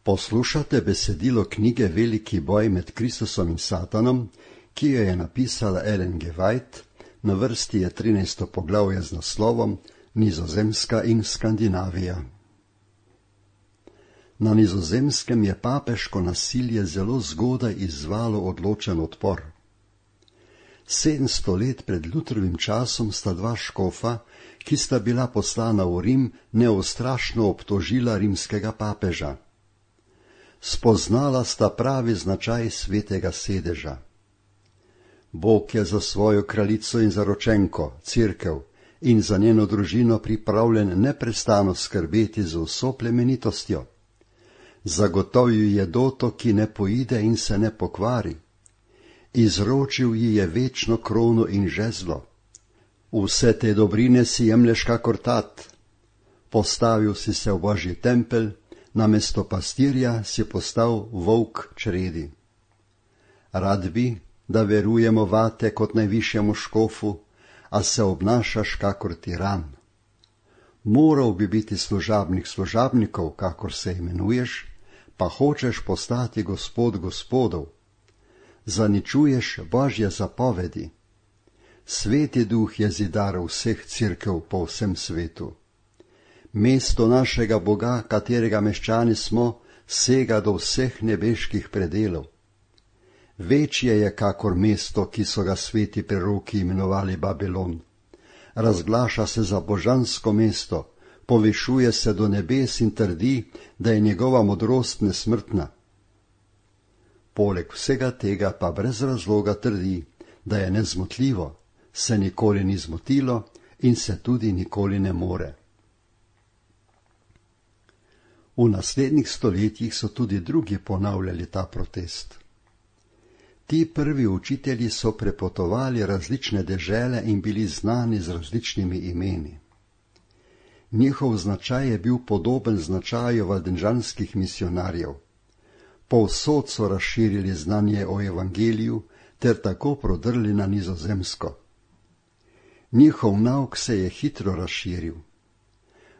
Poslušate besedilo knjige Veliki boj med Kristusom in Satanom, ki jo je napisala Ellen G. White, na vrsti je 13. poglavje z naslovom Nizozemska in Skandinavija. Na Nizozemskem je papeško nasilje zelo zgodaj izzvalo odločen odpor. 700 let pred Lutrovim časom sta dva škofa, ki sta bila poslana v Rim, neustrašno obtožila rimskega papeža. Spoznala sta pravi značaj svetega sedeža. Bog je za svojo kraljico in zaročenko, Cerkev, in za njeno družino pripravljen neprestano skrbeti z vso plemenitostjo. Zagotovil je doto, ki ne poide in se ne pokvari. Izročil ji je večno krono in žezlo. Vse te dobrine si jemlješ kakor tat. Postavil si se v Božji tempelj, namesto pastirja si postal volk čredi. Rad bi, da verujemo vate kot najvišjemu škofu, a se obnašaš kakor tiran. Moral bi biti služabnik služabnikov, kakor se imenuješ, pa hočeš postati gospod gospodov. Zaničuješ Božje zapovedi. Sveti duh je zidar vseh cerkev po vsem svetu. Mesto našega Boga, katerega meščani smo, sega do vseh nebeških predelov. Večje je kakor mesto, ki so ga sveti preroki imenovali Babilon. Razglaša se za božansko mesto, povišuje se do nebes in trdi, da je njegova modrost nesmrtna. Poleg vsega tega pa brez razloga trdi, da je nezmotljivo, se nikoli ni zmotilo in se tudi nikoli ne more. V naslednjih stoletjih so tudi drugi ponavljali ta protest. Ti prvi učitelji so prepotovali različne dežele in bili znani z različnimi imeni. Njihov značaj je bil podoben značaju valdenžanskih misionarjev. Povsod so razširili znanje o evangeliju ter tako prodrli na Nizozemsko. Njihov nauk se je hitro razširil.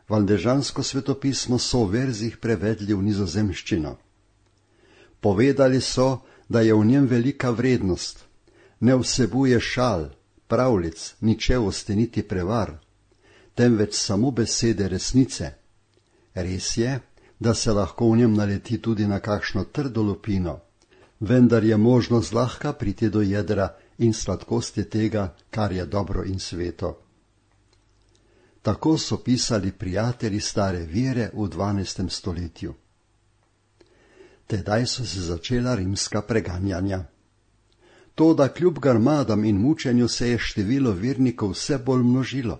Valdenžansko svetopismo so v verzih prevedli v nizozemščino. Povedali so, da je v njem velika vrednost, ne vsebuje šal, pravljic, ničevosti niti prevar, temveč samo besede resnice. Res je, da se lahko v njem naleti tudi na kakšno trdo lupino, vendar je možno zlahka priti do jedra in sladkosti tega, kar je dobro in sveto. Tako so pisali prijatelji stare vere v 12. stoletju. Tedaj so se začela rimska preganjanja. Toda kljub garmadam in mučenju se je število vernikov vse bolj množilo.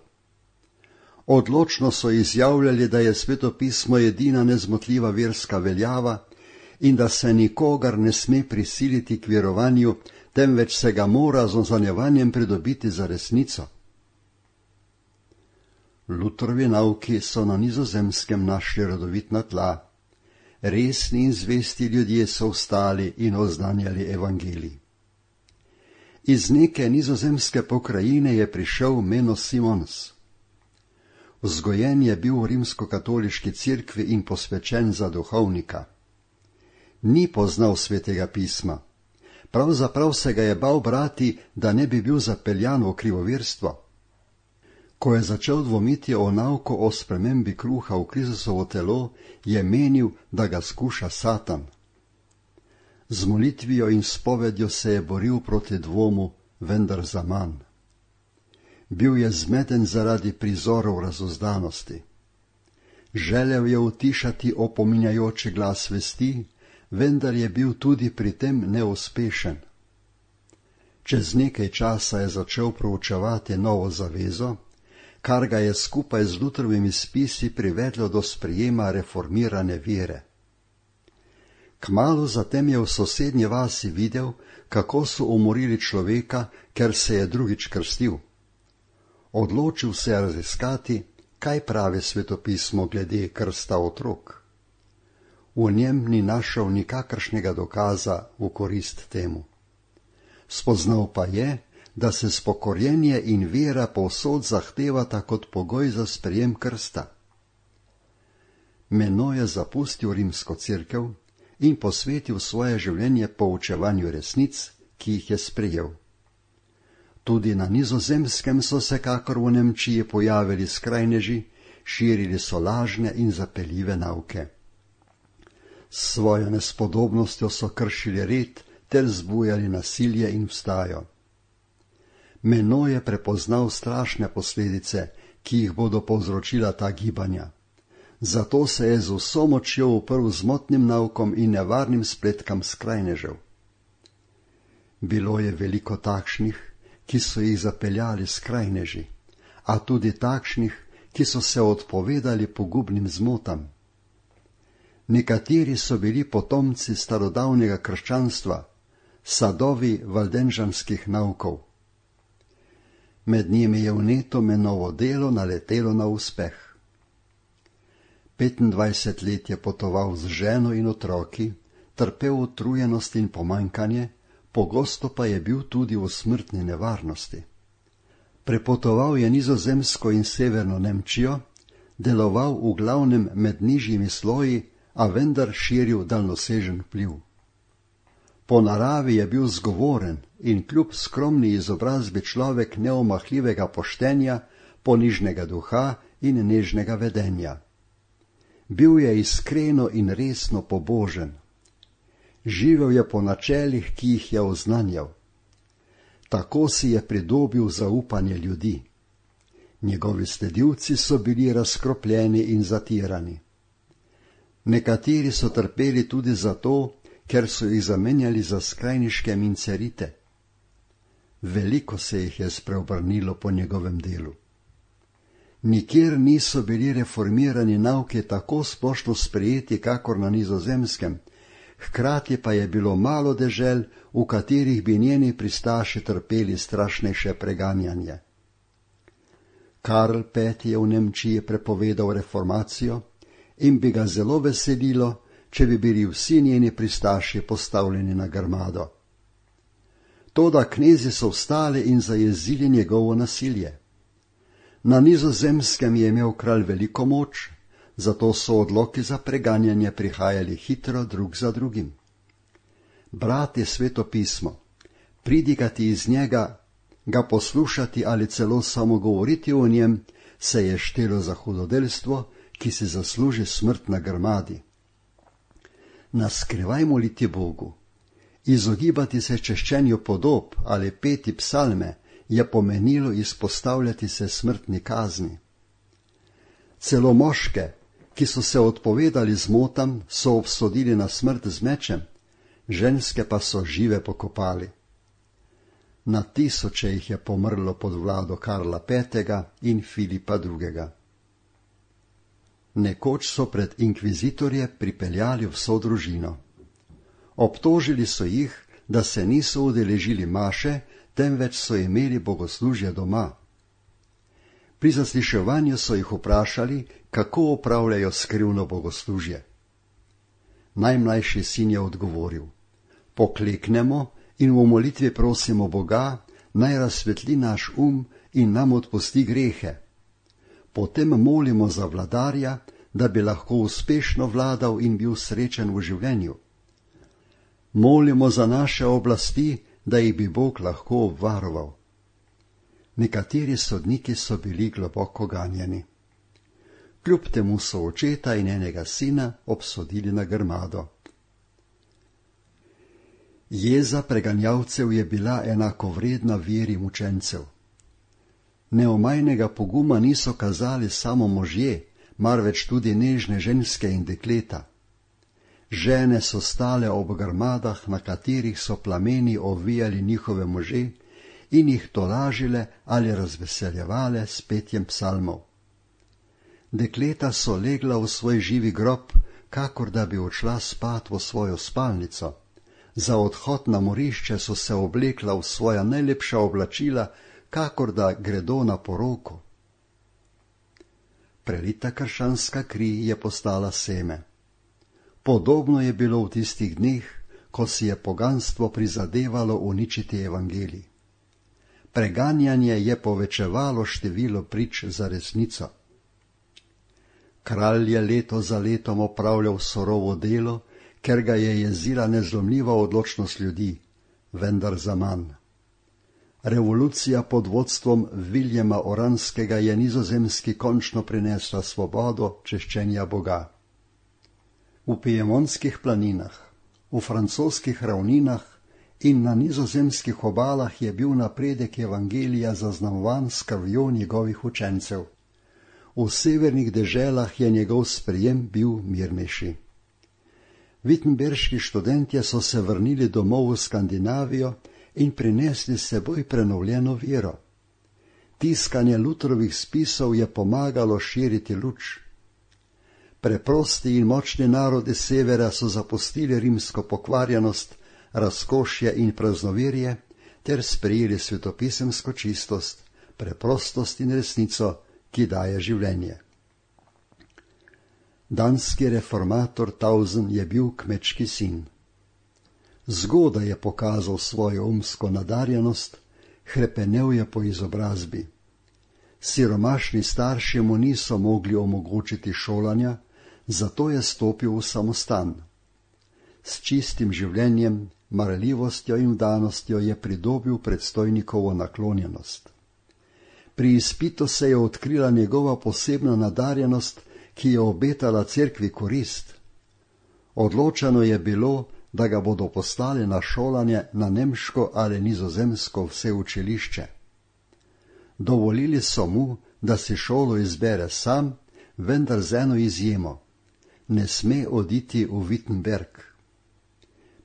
Odločno so izjavljali, da je svetopismo edina nezmotljiva verska veljava in da se nikogar ne sme prisiliti k verovanju, temveč se ga mora z ozanjevanjem pridobiti za resnico. Lutrovi nauki so na Nizozemskem našli rodovitna tla. Resni in zvesti ljudje so vstali in oznanjali evangelij. Iz neke nizozemske pokrajine je prišel Menno Simons. Vzgojen je bil v rimskokatoliški cerkvi in posvečen za duhovnika. Ni poznal svetega pisma. Pravzaprav se ga je bal brati, da ne bi bil zapeljan v krivoverstvo. Ko je začel dvomiti o nauku o spremembi kruha v Kristusovo telo, je menil, da ga skuša Satan. Z molitvijo in spovedjo se je boril proti dvomu, vendar zaman. Bil je zmeden zaradi prizorov razuzdanosti. Želel je utišati opominjajoči glas vesti, vendar je bil tudi pri tem neuspešen. Čez nekaj časa je začel proučevati novo zavezo, kar ga je skupaj z Lutrovimi spisi privedlo do sprejema reformirane vere. Kmalu zatem je v sosednji vasi videl, kako so umorili človeka, ker se je drugič krstil. Odločil se je raziskati, kaj pravi svetopismo glede krsta otrok. V njem ni našel nikakršnega dokaza v korist temu. Spoznal pa je, da se spokorjenje in vera povsod zahtevata kot pogoj za sprejem krsta. Menoj je zapustil rimsko cerkev in posvetil svoje življenje poučevanju resnic, ki jih je sprejel. Tudi na Nizozemskem so se kakor v Nemčiji pojavili skrajneži, širili so lažne in zapeljive nauke. S svojo nespodobnostjo so kršili red ter zbujali nasilje in vstajo. Menoj je prepoznal strašne posledice, ki jih bodo povzročila ta gibanja. Zato se je z vso močjo uprl zmotnim naukom in nevarnim spletkam skrajnežev. Bilo je veliko takšnih, ki so jih zapeljali skrajneži, a tudi takšnih, ki so se odpovedali pogubnim zmotam. Nekateri so bili potomci starodavnega krščanstva, sadovi valdenžanskih naukov. Med njimi je vneto Menovo delo naletelo na uspeh. 25 let je potoval z ženo in otroki, trpel utrujenost in pomanjkanje, pogosto pa je bil tudi v smrtni nevarnosti. Prepotoval je Nizozemsko in severno Nemčijo, deloval v glavnem med nižjimi sloji, a vendar širil daljnosežen vpliv. Po naravi je bil zgovoren in kljub skromni izobrazbi človek neomahljivega poštenja, ponižnega duha in nežnega vedenja. Bil je iskreno in resno pobožen. Živel je po načelih, ki jih je oznanjal. Tako si je pridobil zaupanje ljudi. Njegovi sledilci so bili razkropljeni in zatirani. Nekateri so trpeli tudi zato, ker so jih zamenjali za skrajniške mincerite. Veliko se jih je spreobrnilo po njegovem delu. Nikjer niso bili reformirani nauke tako splošno sprejeti, kakor na Nizozemskem, hkrati pa je bilo malo dežel, v katerih bi njeni pristaši trpeli strašnejše preganjanje. Karl V. je v Nemčiji prepovedal reformacijo in bi ga zelo veselilo, če bi bili vsi njeni pristaši postavljeni na grmado. Toda knezi so vstali in zajezili njegovo nasilje. Na Nizozemskem je imel kralj veliko moč, zato so odloki za preganjanje prihajali hitro drug za drugim. Brati Sveto pismo, pridigati iz njega, ga poslušati ali celo samo govoriti o njem, se je štelo za hudodelstvo, ki si zasluži smrt na grmadi. Naskrivaj moliti Bogu, izogibati se češčenju podob ali peti psalme je pomenilo izpostavljati se smrtni kazni. Celo moške, ki so se odpovedali zmotam, so obsodili na smrt z mečem, ženske pa so žive pokopali. Na tisoče jih je pomrlo pod vlado Karla V. in Filipa II. Nekoč so pred inkvizitorje pripeljali vso družino. Obtožili so jih, da se niso udeležili maše, temveč so imeli bogoslužje doma. Pri zasliševanju so jih vprašali, kako opravljajo skrivno bogoslužje. Najmlajši sin je odgovoril: pokleknemo in v molitvi prosimo Boga, naj razsvetli naš in nam odpusti grehe. Potem molimo za vladarja, da bi lahko uspešno vladal in bil srečen v življenju. Molimo za naše oblasti, da jih bi Bog lahko obvaroval. Nekateri sodniki so bili globoko ganjeni. Kljub temu so očeta in enega sina obsodili na grmado. Jeza preganjalcev je bila enakovredna veri mučencev. Neomajnega poguma niso kazali samo možje, marveč tudi nežne ženske in dekleta. Žene so stale ob grmadah, na katerih so plameni ovijali njihove može in jih tolažile ali razveseljevale s petjem psalmov. Dekleta so legla v svoj živi grob, kakor da bi odšla spat v svojo spalnico. Za odhod na morišče so se oblekla v svoja najlepša oblačila, kakor da gredo na poroko. Prelita krščanska kri je postala seme. Podobno je bilo v tistih dneh, ko si je poganstvo prizadevalo uničiti evangelij. Preganjanje je povečevalo število prič za resnico. Kralj je leto za letom opravljal surovo delo, ker ga je jezila nezlomljiva odločnost ljudi, vendar zaman. Revolucija pod vodstvom Viljema Oranskega je Nizozemski končno prinesla svobodo češčenja Boga. V Piemontskih planinah, v francoskih ravninah in na nizozemskih obalah je bil napredek evangelija zaznamovan s krvjo njegovih učencev. V severnih deželah je njegov sprejem bil mirnejši. Wittenberški študentje so se vrnili domov v Skandinavijo in prinesli s seboj prenovljeno vero. Tiskanje Lutherovih spisov je pomagalo širiti luč. Preprosti in močni narodi severa so zapustili rimsko pokvarjenost, razkošje in praznoverje ter sprejeli svetopisemsko čistost, preprostost in resnico, ki daje življenje. Danski reformator Tausen je bil kmečki sin. Zgodaj je pokazal svojo umsko nadarjenost, hrepenel je po izobrazbi. Siromašni starši mu niso mogli omogočiti šolanja, zato je stopil v samostan. S čistim življenjem, marljivostjo in vdanostjo je pridobil predstojnikovo naklonjenost. Pri izpitu se je odkrila njegova posebna nadarjenost, ki je obetala cerkvi korist. Odločeno je bilo, da ga bodo poslali na šolanje na nemško ali nizozemsko vseučilišče. Dovolili so mu, da si šolo izbere sam, vendar z eno izjemo. Ne sme oditi v Wittenberg.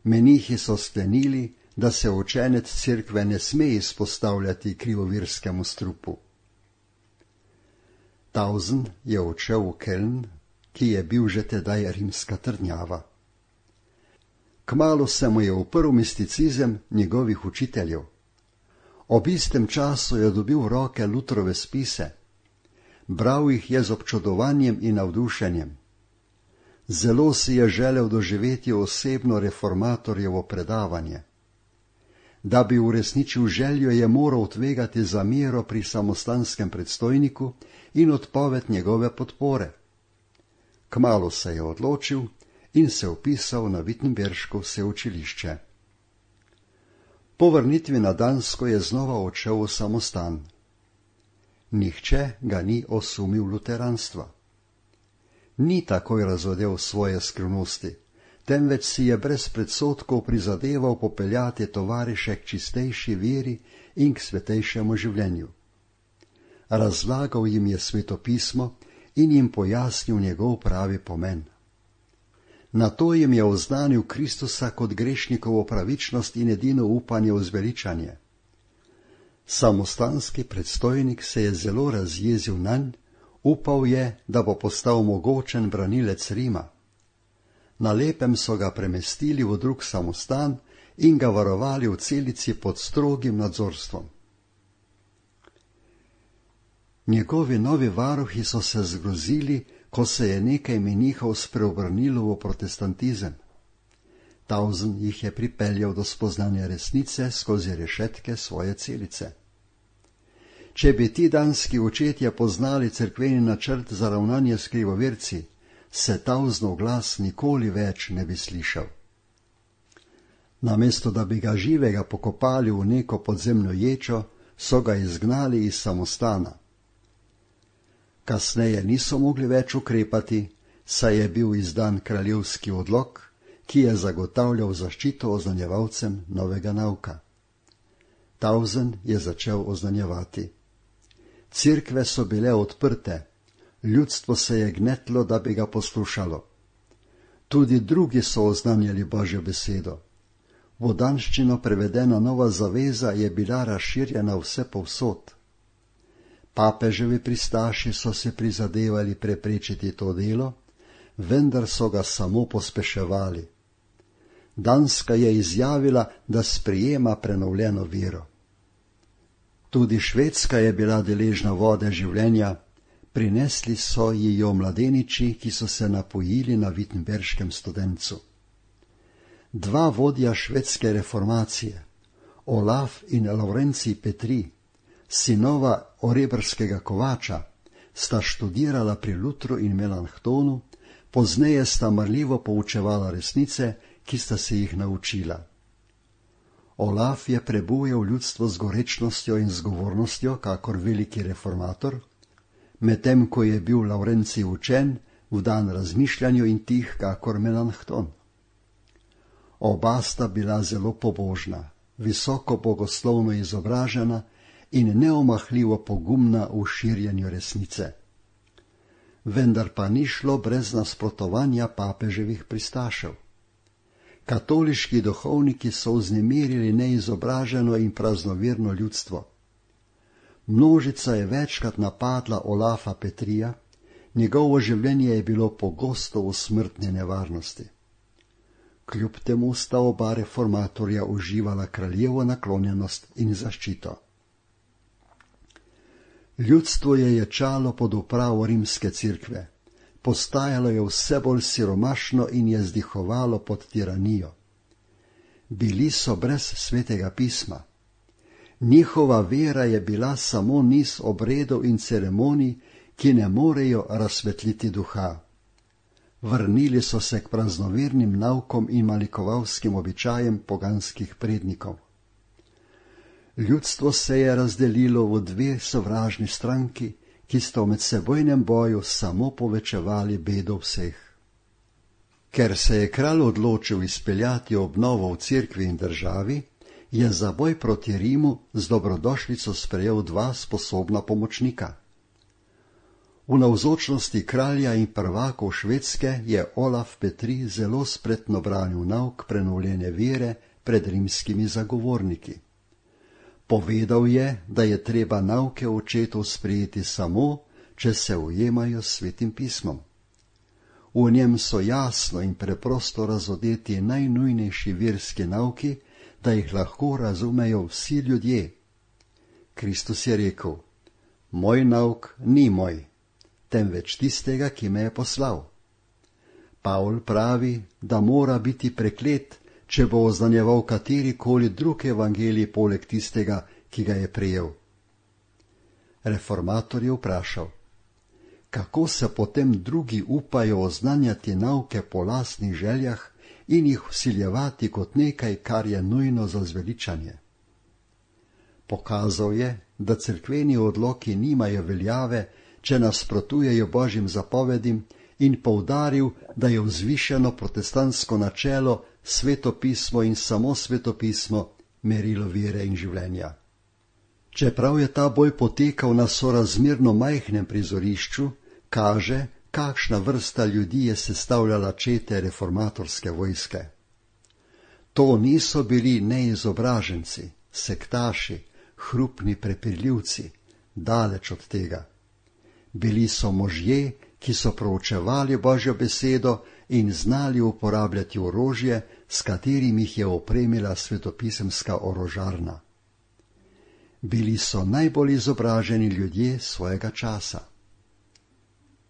Menihi so sklenili, da se učenec cerkve ne sme izpostavljati krivovirskemu strupu. Tausen je odšel v Keln, ki je bil že tedaj rimska trdnjava. Kmalu se mu je uprl misticizem njegovih učiteljev. Ob istem času je dobil v roke Lutherove spise. Bral jih je z občudovanjem in navdušenjem. Zelo si je želel doživeti osebno reformatorjevo predavanje. Da bi uresničil željo, je moral tvegati zamero pri samostanskem predstojniku in odpoved njegove podpore. Kmalu se je odločil in se vpisal na Wittenberško vseučilišče. Po vrnitvi na Dansko je znova odšel v samostan. Nihče ga ni osumil luteranstva. Ni takoj razodel svoje skrivnosti, temveč si je brez predsodkov prizadeval popeljati tovariše k čistejši veri in k svetejšemu življenju. Razlagal jim je svetopismo in jim pojasnil njegov pravi pomen. Nato jim je oznanil Kristusa kot grešnikovo pravičnost in edino upanje v zveličanje. Samostanski predstojnik se je zelo razjezil nanj, upal je, da bo postal mogočen branilec Rima. Na lepem so ga premestili v drug samostan in ga varovali v celici pod strogim nadzorstvom. Njegovi novi varuhi so se zgrozili, ko se je nekaj menihov spreobrnilo v protestantizem. Tausen jih je pripeljal do spoznanja resnice skozi rešetke svoje celice. Če bi ti danski očetje poznali cerkveni načrt za ravnanje s krivoverci, se Tausenov glas nikoli več ne bi slišal. Namesto da bi ga živega pokopali v neko podzemno ječo, so ga izgnali iz samostana. Kasneje niso mogli več ukrepati, saj je bil izdan kraljevski odlok, ki je zagotavljal zaščito oznanjevalcem novega nauka. Tausen je začel oznanjevati. Cerkve so bile odprte, ljudstvo se je gnetlo, da bi ga poslušalo. Tudi drugi so oznanjali Božjo besedo. V danščino prevedena nova zaveza je bila razširjena vse povsod. Papeževi pristaši so se prizadevali preprečiti to delo, vendar so ga samo pospeševali. Danska je izjavila, da sprejema prenovljeno vero. Tudi Švedska je bila deležna vode življenja, prinesli so ji jo mladeniči, ki so se napojili na Wittenberškem studencu. Dva vodja švedske reformacije, Olaf in Laurencij Petri, sinova orebrskega kovača, sta študirala pri Lutru in Melanchtonu, pozneje sta marljivo poučevala resnice, ki sta se jih naučila. Olaf je prebujal ljudstvo z gorečnostjo in zgovornostjo, kakor veliki reformator, medtem ko je bil Lavrencij učen, vdan razmišljanju in tih, kakor Melanchton. Oba sta bila zelo pobožna, visoko bogoslovno izobražena in neomahljivo pogumna v širjenju resnice. Vendar pa ni šlo brez nasprotovanja papeževih pristašev. Katoliški duhovniki so vznemirili neizobraženo in praznoverno ljudstvo. Množica je večkrat napadla Olafa Petrija, njegovo življenje je bilo pogosto v smrtni nevarnosti. Kljub temu sta oba reformatorja uživala kraljevo naklonjenost in zaščito. Ljudstvo je ječalo pod upravo rimske cerkve, postajalo je vse bolj siromašno in je zdihovalo pod tiranijo. Bili so brez svetega pisma. Njihova vera je bila samo niz obredov in ceremonij, ki ne morejo razsvetliti duha. Vrnili so se k praznovernim naukom in malikovalskim običajem poganskih prednikov. Ljudstvo se je razdelilo v dve sovražni stranki, ki sta v medsebojnem boju samo povečevali bedo vseh. Ker se je kralj odločil izpeljati obnovo v cerkvi in državi, je za boj proti Rimu z dobrodošlico sprejel dva sposobna pomočnika. V navzočnosti kralja in prvakov Švedske je Olaf Petri zelo spretno branil nauk prenovljene vere pred rimskimi zagovorniki. Povedal je, da je treba nauke očetov sprejeti samo, če se ujemajo s svetim pismom. V njem so jasno in preprosto razodeti najnujnejši verski nauki, da jih lahko razumejo vsi ljudje. Kristus je rekel: Moj nauk ni moj, temveč tistega, ki me je poslal. Pavl pravi, da mora biti preklet, če bo oznanjeval katerikoli drug evangelij poleg tistega, ki ga je prejel. Reformator je vprašal: kako se potem drugi upajo oznanjati nauke po lastnih željah in jih vsiljevati kot nekaj, kar je nujno za zveličanje? Pokazal je, da cerkveni odloki nimajo veljave, če nasprotujejo Božjim zapovedim, in poudaril, da je vzvišeno protestantsko načelo svetopismo in samo svetopismo merilo vere in življenja. Čeprav je ta boj potekal na sorazmerno majhnem prizorišču, kaže, kakšna vrsta ljudi je sestavljala čete reformatorske vojske. To niso bili neizobraženci, sektaši, hrupni prepirljivci, daleč od tega. Bili so možje, ki so proučevali Božjo besedo in znali uporabljati orožje, s katerim jih je opremila svetopisemska orožarna. Bili so najbolj izobraženi ljudje svojega časa.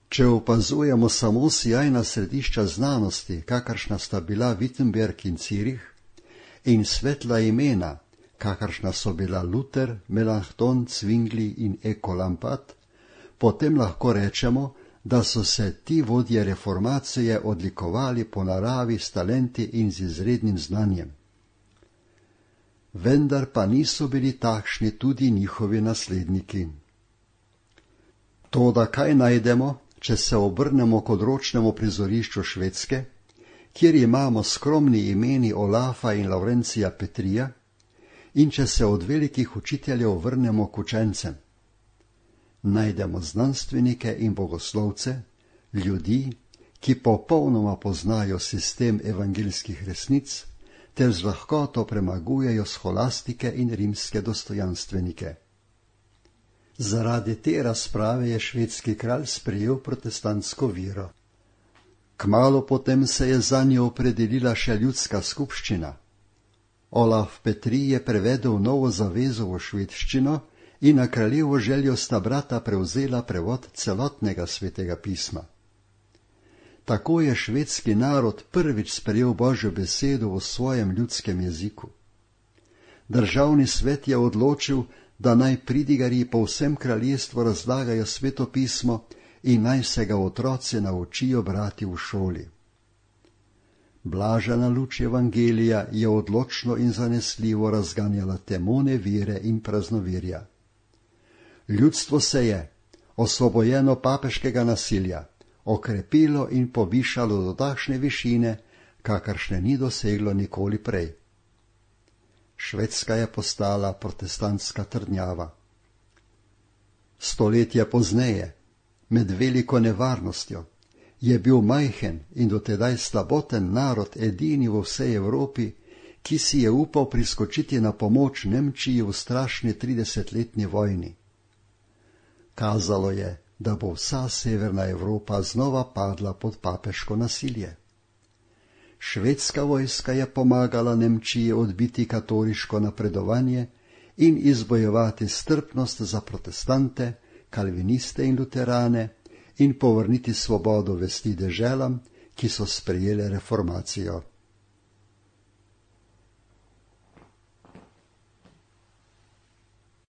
Če opazujemo samo sijajna središča znanosti, kakršna sta bila Wittenberg in Zürich, in svetla imena, kakršna so bila Luther, Melanchthon, Zwingli in Ecolampad, potem lahko rečemo, da so se ti vodje reformacije odlikovali po naravi s talenti in z izrednim znanjem. Vendar pa niso bili takšni tudi njihovi nasledniki. Toda kaj najdemo, če se obrnemo k odročnemu prizorišču Švedske, kjer imamo skromni imeni Olafa in Lavrencija Petrija, in če se od velikih učiteljev vrnemo k učencem? Najdemo znanstvenike in bogoslovce, ljudi, ki popolnoma poznajo sistem evangeljskih resnic, ter z lahkoto premagujejo scholastike in rimske dostojanstvenike. Zaradi te razprave je švedski kralj sprejel protestantsko vero. Kmalu potem se je zanjo opredelila še ljudska skupščina. Olaf Petri je prevedel novo zavezo v švedščino in na kraljevo željo sta brata prevzela prevod celotnega svetega pisma. Tako je švedski narod prvič sprejel Božjo besedo v svojem ljudskem jeziku. Državni svet je odločil, da naj pridigarji po vsem kraljestvu razlagajo svetopismo in naj se ga otroci naučijo brati v šoli. Blažena luč evangelija je odločno in zanesljivo razganjala temo nevire in praznovirja. Ljudstvo se je, osvobojeno papeškega nasilja, okrepilo in povišalo do takšne višine, kakršne ni doseglo nikoli prej. Švedska je postala protestantska trdnjava. Stoletja pozneje, med veliko nevarnostjo, je bil majhen in dotedaj slaboten narod edini v vsej Evropi, ki si je upal priskočiti na pomoč Nemčiji v strašni 30-letni vojni. Kazalo je, da bo vsa severna Evropa znova padla pod papeško nasilje. Švedska vojska je pomagala Nemčiji odbiti katoliško napredovanje in izbojevati strpnost za protestante, kalviniste in luterane in povrniti svobodo vesti deželam, ki so sprejele reformacijo.